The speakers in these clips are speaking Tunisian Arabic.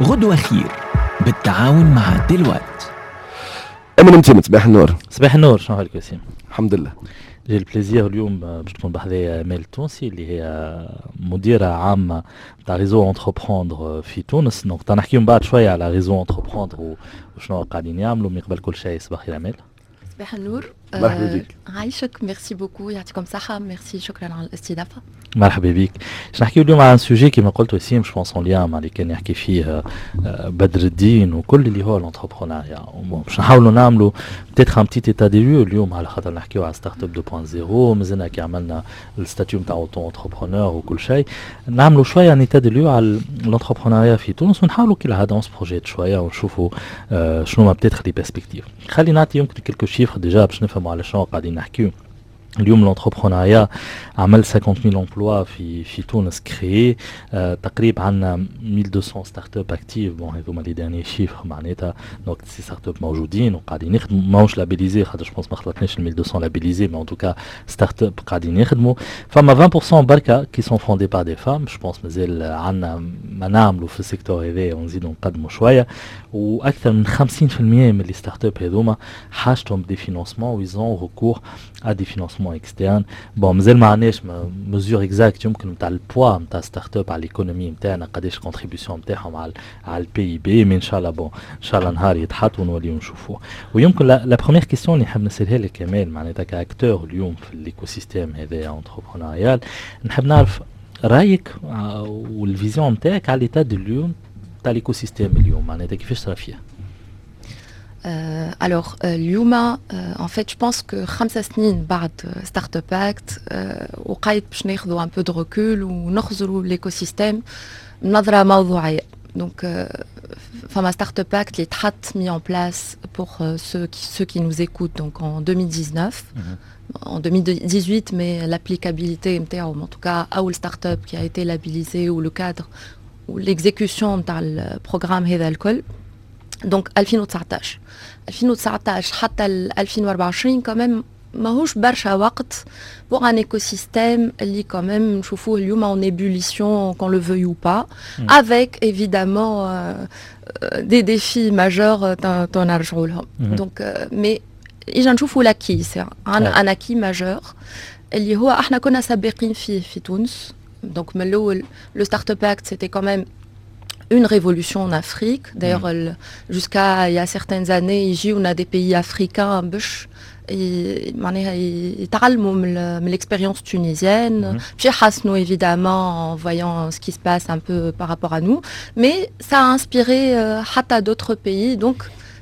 غدوة خير بالتعاون مع Deloitte. امين متيم، صباح النور. صباح النور، شنو حالك وسيم؟ الحمد لله. j'ai le plaisir اليوم باش تكون بحذايا امال التونسي اللي هي مديره عامة تاع Réseau Entreprendre في تونس. donc نحكيو من بعد شوية على Réseau Entreprendre وشنو قاعدين يعملوا. من قبل كل شيء، صباح الخير امال. صباح النور. مرحبا بك. عايشك، merci beaucoup، يعطيكم صحة، ميرسي، شكرا على الاستضافة. مرحبا بك. باش نحكيو اليوم على sujet كيما قلت وسيم، je pense en lien مع اللي كان يحكي فيه بدر الدين وكل، اللي هو l'entrepreneuriat. باش نحاولوا نعملوا peut-être un petit état des lieux اليوم، على خاطر نحكيو على startup 2.0، مازلنا كي عملنا ال statut نتاع auto-entrepreneur وكل شيء. نعملوا شوية un état des lieux على l'entrepreneuriat في تونس ونحاولوا كي العادة on se projette شوية ونشوفوا شنو ما peut-être les perspectives. خلي نعطي يمكن quelques chiffres déjà باش نفهموا على شنو قاعدين نحكيو. اليوم l'entrepreneuriat عمل 50000 emplois في تونس créés، تقريبا عندنا 1200 startups actives. bon، هذوما les derniers chiffres معناتها. donc ces startups موجودين وقاعدين يخدموا، ماهوش labellisées خاطر je pense ما خلطناش 1200 labellisées، mais en tout cas startups قاعدين يخدموا. فما 20% بركة qui sont fondées par des femmes. je pense مازال عندنا ما نعملوا في ال secteur هذا ونزيدوا نقدموا شويه. واكثر من 50% من les startups هذوما حاجتهم des financements و ils ont recours à des financements externes. bon، مازال ما عندناش mesure exacte يمكن نتاع ال poids نتاع startup على l'économie نتاعنا، قداش contribution نتاعهم على ال PIB، mais ان شاء الله، bon، ان شاء الله نهار يتحط ونوليو نشوفوه. ويمكن la première question اللي نحب نسالها لك امال، معناتها ك acteur اليوم في l'écosystème هذا entrepreneurial، نحب نعرف رايك وال vision نتاعك على l'état اليوم تاع l'écosystème اليوم، معناتها كيفاش ترى فيه؟ Alors, اليوم en fait je pense que 5 سنين بعد Startup Act وقيت باش ناخذوا un peu de recul ونخزروا l'écosystème بنظره موضوعيه. donc فما Startup Act اللي تحط mis en place pour ceux qui nous écoutent، donc en 2019، en 2018، mais l'applicabilité نتاعو، en tout cas أول start-up qui a été labellisée ou le cadre ou l'exécution نتاع ال programme هذا الكل، donc 2019، 2019 حتى 2024، quand même ماهوش برشا وقت pour un écosystème اللي quand même نشوفوه اليوم en ébullition، qu'on le veuille ou pas، avec évidemment des défis majeurs تو نرجعوا لهم. donc mais اجا نشوفوا l'acquis، c'est un acquis majeur اللي هو احنا كنا سابقين فيه في تونس. donc من الاول le Startup Act c'était quand même une révolution en Afrique. D'ailleurs, jusqu'à il y a certaines années, يجيونا des pays africains باش معناها يتعلموا من l'expérience tunisienne، باش يحسنوا évidemment en voyant ce qui se passe un peu par rapport à nous، mais ça a inspiré حتى d'autres pays. donc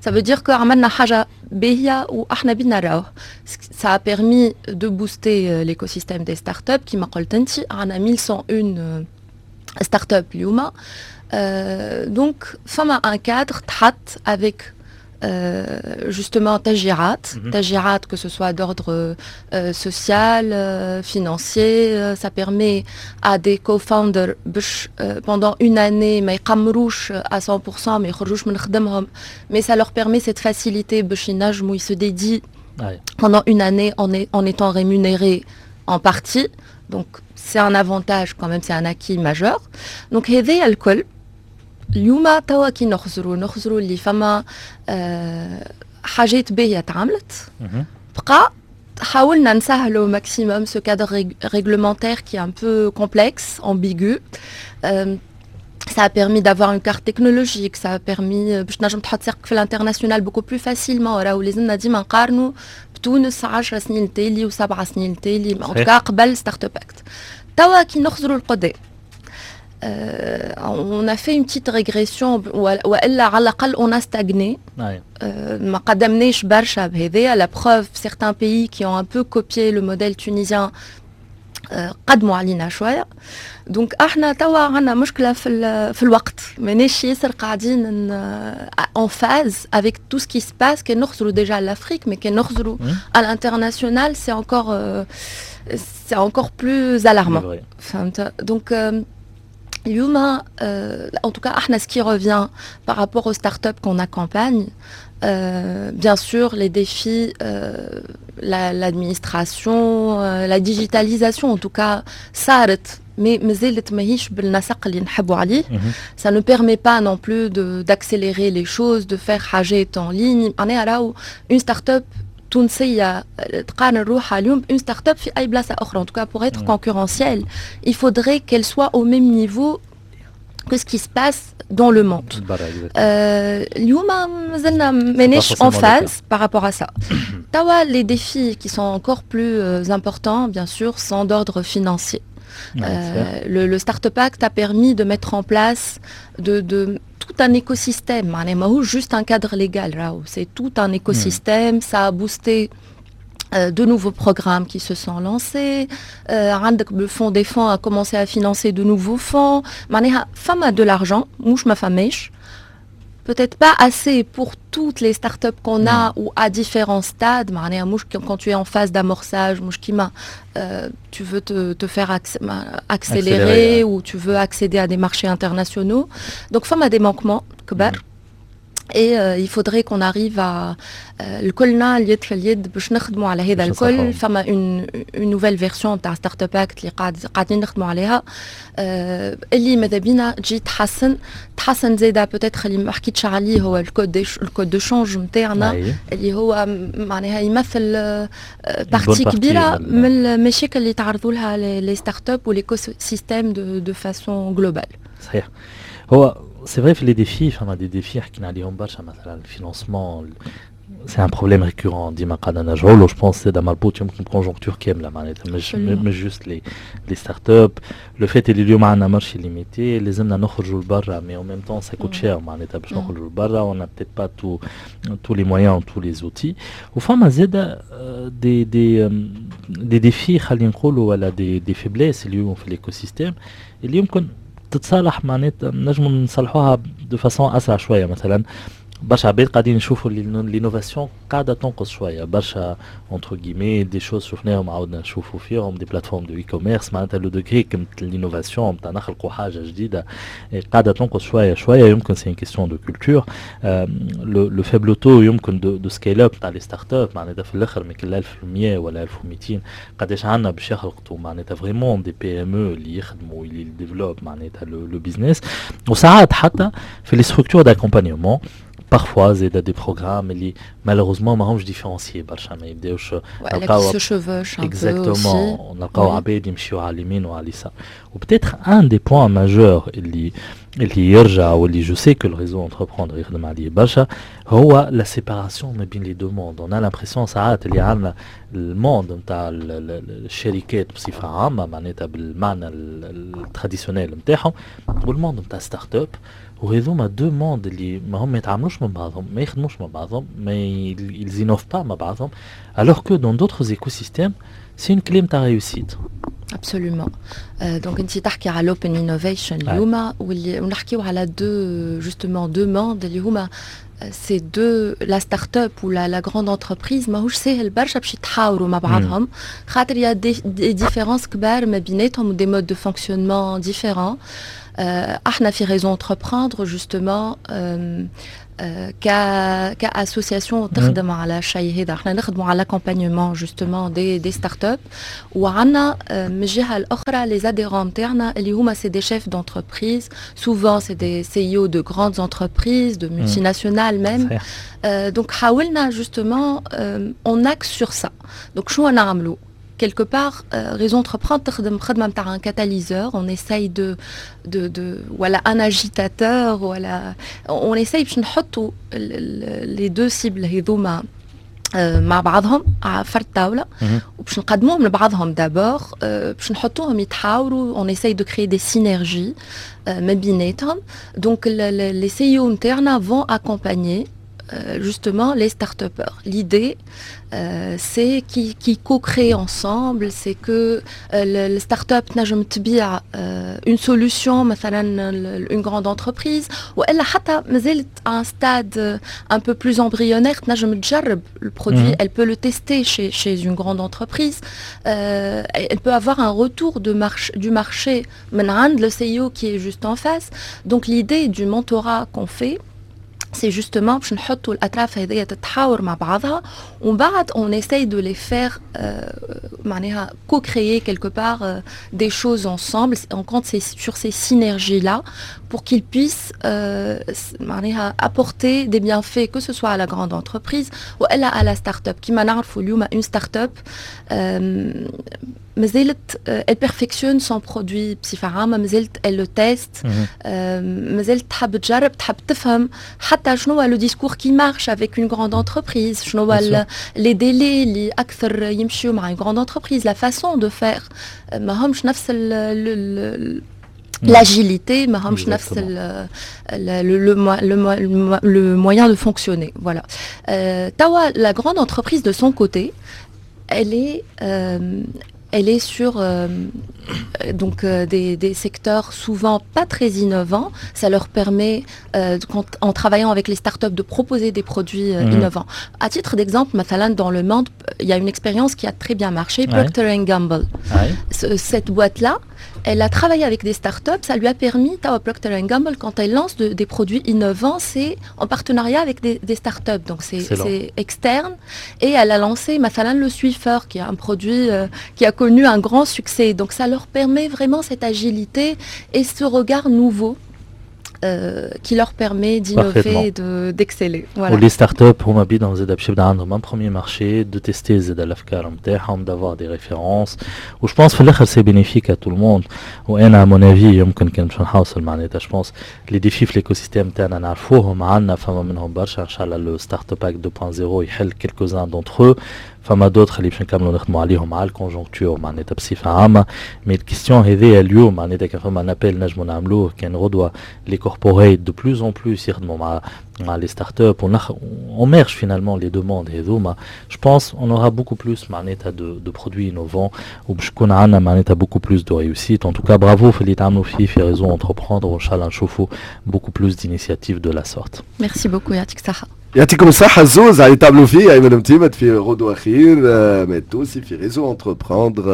ça veut dire que عملنا حاجة باهية وإحنا بينا راهو. Ça a permis de booster l'écosystème des startups. كما قلت أنت، عندنا 1101 startups اليوم. Donc فما un cadre تحط avec justement تشجيعات، تشجيعات que ce soit d'ordre social، financier. ça permet à des co-founders باش pendant une année ما يقمروش à 100%، ما يخرجوش من خدمهم، mais ça leur permet cette facilité باش ينجموا ils se dédient pendant une année en étant rémunérés en partie. donc c'est un avantage quand même، c'est un acquis majeur. donc هذايا الكل اليوم توا كي نخزروا اللي فما حاجات باهيه تعملت، بقى حاولنا نسهلوا maximum ce cadre réglementaire qui est un peu complexe، ambigu. Ça a permis d'avoir une carte technologique، ça a permis باش تنجم تحط ساقك في l'international beaucoup plus facilement. راهو لازمنا ديما نقارنوا بتونس 10 سنين التالي و7 سنين التالي، en tout cas قبل Startup Act. توا كي نخزروا القدام، on a fait une petite régression والا على الاقل on a stagné، ما قدمناش برشا بهذايا. la preuve، certains pays qui ont un peu copié le modèle tunisien قدموا علينا شويه. donc احنا توا عندنا مشكلة في الوقت، ماناش ياسر قاعدين en phase avec tout ce qui se passe. كان نخزروا déjà l'Afrique، mais كان نخزروا à l'international، c'est encore plus alarmant، فهمت؟ donc اليوم en tout cas احنا ce qui revient par rapport aux startups qu'on accompagne، bien sûr les défis، l'administration، la digitalisation en tout cas صارت. mais مازالت ماهيش بالنسق اللي نحبوا عليه. Ça ne permet pas non plus d'accélérer les choses, de faire حاجات en ligne. معناها راهو une start-up تونسية تقارن روحها اليوم une start-up في اي بلاصة اخرى، en tout cas pour être concurrentielle, il faudrait qu'elle soit au même niveau que ce qui se passe dans le monde. اليوم مازلنا ماناش en phase par rapport à ça. توا les défis qui sont encore plus importants, bien sûr, sont d'ordre financier. Le Startup Act a permis de mettre en place de tout un écosystème. معناها ماهوش juste un cadre légal راهو, c'est tout un écosystème. Ça a boosté de nouveaux programmes qui se sont lancés. عندك le fonds des fonds a commencé à financer de nouveaux fonds. معناها فما de l'argent, مش ما فماش. Peut-être pas assez pour toutes les startups qu'on a ou à différents stades. معناها مش quand tu es en phase d'amorçage, مش كيما tu veux te faire accélérer ou tu veux accéder à des marchés internationaux. Donc فما des manquements كبار. Et il faudrait qu'on arrive à الكلنا اليد في اليد باش نخدموا على هذا الكل. فما une nouvelle version تاع Startup Act اللي قاعدين نخدموا عليها، اللي ماذا بينا تجي تحسن زاده. Peut-être اللي ما حكيتش عليه هو ال code de change نتاعنا، اللي هو معناها يمثل partie كبيرة من المشاكل اللي تعرضوا لها les startups و l'écosystème de façon globale. صحيح، هو c'est vrai في les défis، فما des défis حكينا عليهم برشا، مثلا ال financement, c'est un problème récurrent ديما قاعدة نرجعوا له. Je pense هذا مربوط يمكن ب conjoncture كامله، معناتها مش juste les startups. Le fait اللي اليوم عندنا marché limité، لازمنا نخرجوا لبرا، mais en même temps ça coûte cher، معناتها باش نخرجوا لبرا on a peut-être pas tous les moyens, tous les outils. وفما زاده des défis خلينا نقولوا ولا des faiblesses اليوم في l'écosystème اللي يمكن تتصالح، معناتها نجموا نصلحوها de façon اسرع شويه. مثلا برشا عباد قاعدين يشوفوا l'innovation قاعدة تنقص شويه، برشا entre guillemets des choses شفناهم عاودنا نشوفوا فيهم، des plateformes de e-commerce، معناتها le degré كمت l'innovation نتاع نخلقوا حاجة جديدة قاعدة تنقص شوية شويه. يمكن c'est une question de culture, le faible taux يمكن de scale-up تاع les startups، معناتها في الاخر من كل 1100 ولا 1200 قداش عندنا باش يخلقوا معناتها vraiment des PME اللي يخدموا اللي développent معناتها le business. وساعات حتى في les structures d'accompagnement, parfois زيد des programmes اللي malheureusement ماهمش différenciés برشا، ما يبداوش نلقاو se chevauchent. Exactement، نلقاو عباد يمشيو على اليمين وعلى اليسار. و peut-être un des points majeurs اللي يرجع واللي je sais que le réseau Entreprendre يخدم عليه برشا هو la séparation ما بين les deux mondes. On a l'impression ساعات اللي عندنا ال monde نتاع الشركات بصفة عامه، معناتها بالمعنى ال traditionnel نتاعهم، وال monde نتاع startup، وهذوما deux mondes اللي ما هم يتعاملوش مع بعضهم، ما يخدموش مع بعضهم، ما ils innovent pas مع بعضهم، alors que dans d'autres écosystèmes c'est une clé نتاع réussite. Absolument. Donc انت تحكي على l'open innovation اليوم، واللي ونحكيو على deux, justement, deux mondes اللي هما ces deux, la start-up ou la grande entreprise. ماهوش ساهل برشا باش يتحاوروا مع بعضهم، خاطر il y a des différences كبار ما بيناتهم و des modes de fonctionnement différents. احنا في Réseau Entreprendre, justement, ك association تخدم على الشيء هذا، احنا نخدموا على l'accompagnement justement des startups، وعندنا من الجهة الاخرى les adhérents نتاعنا اللي هما c'est des chefs d'entreprise, souvent c'est des CEO de grandes entreprises, de multinationales même. Donc حاولنا justement, on axe sur ça. Donc شنو نعملوا quelque part, Réseau Entreprendre تخدم خدمة نتاع un catalyseur, on essaye de voilà, un agitateur, voilà, on essaye باش نحطوا les deux cibles هذوما مع بعضهم على فرد طاولة، وباش نقدموهم لبعضهم d'abord، باش نحطوهم يتحاوروا. On essaye de créer des synergies ما بيناتهم. Donc les CEO نتاعنا vont accompagner justement les start-upers. L'idée, c'est qu'ils co-créent ensemble, c'est que le start-up تنجم تبيع une solution مثلا une grande entreprise، والا حتى مازالت à un stade un peu plus embryonnaire، تنجم تجرب le produit, elle peut le tester chez une grande entreprise, elle peut avoir un retour du marché من عند le CEO qui est juste en face. Donc l'idée du mentorat qu'on fait, c'est justement باش نحطوا الاطراف هذيا تتحاور مع بعضها، ومن بعد on essaye de les faire معناها co-créer quelque part des choses ensemble. On compte sur ces synergies-là pour qu'ils puissent معناها apporter des bienfaits, que ce soit à la grande entreprise ou à la start-up. كيما نعرفوا اليوم une start-up مازالت elle perfectionne son produit بصفة عامة، مازالت elle le teste، مازالت تحب تجرب، تحب تفهم حتى شنو هو le discours qui marche avec une grande entreprise، شنو هو les délais اللي أكثر يمشيو مع une grande entreprise، la façon de faire. ما همش نفس l'agilité، ما همش نفس le moyen de fonctionner, voilà. توا la grande entreprise, de son côté, elle est sur donc des secteurs souvent pas très innovants. Ça leur permet, quand, en travaillant avec les startups, de proposer des produits innovants. À titre d'exemple, مثلا dans le monde, il y a une expérience qui a très bien marché, Procter Gamble. Cette boîte-là, elle a travaillé avec des startups, ça lui a permis, توا Procter Gamble, quand elle lance des produits innovants, c'est en partenariat avec des startups, donc c'est externe. Et elle a lancé مثلا le Swiffer, qui est un produit qui a connu un grand succès. Donc ça leur permet vraiment cette agilité et ce regard nouveau qui leur permet d'innover et d'exceller. Voilà. و les startups هما بيدهم زاد باش يبدا عندهم un premier marché, de tester زاد الافكار نتاعهم, d'avoir des références، و je pense في الاخر c'est bénéfique à tout le monde. وانا à mon avis يمكن كان باش نحوصل معناتها je pense les défis في l'écosystème تاعنا نعرفوهم، عندنا فما منهم برشا. ان شاء الله le Startup Act 2.0 يحل quelques-uns d'entre eux، فما d'autres اللي باش نكملوا نخدموا عليهم على ال conjoncture معناتها بصفه عامه. mais ال question هذيا اليوم معناتها كان فما un appel نجموا نعملوه، كان غدوه les corporates de plus en plus يخدموا مع les startups, on merge finalement les demandes هذوما، je pense on aura beaucoup plus معناتها de produits innovants وباش يكون عندنا معناتها beaucoup plus de réussite. En tout cas, bravo في اللي تعملوا فيه في réseau Entreprendre، وان شاء الله نشوفوا beaucoup plus d'initiatives de la sorte. Merci beaucoup، يعطيك الصحة. يعطيكم الصحة الزوز على تعملوا فيه، أيمن متيمت في غدوة خير، مات توسي في réseau Entreprendre.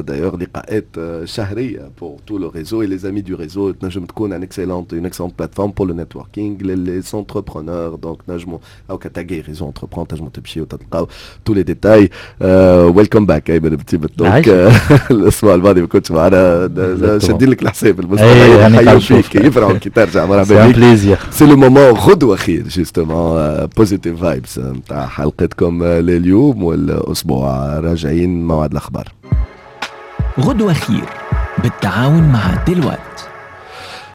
D'ailleurs لقاءات شهرية pour tout le réseau et les amis du réseau، تنجم تكون une excellente plateforme pour le networking, les entrepreneurs. Donc نجموا أو كتاجي réseau Entreprendre تنجموا تمشيو وتلقاو tous les détails. Welcome back أيمن متيمت. Donc الأسبوع الماضي ما كنتش معنا، شادين لك الحساب، المستمعين يحيوا فيك، يفرحوا كي ترجع. مرحبا بك. Plaisir. C'est le moment غدوة خير justement, positive vibes نتاع حلقتكم لليوم والاسبوع. راجعين موعد الاخبار. غدوة خير بالتعاون مع دلوقتي.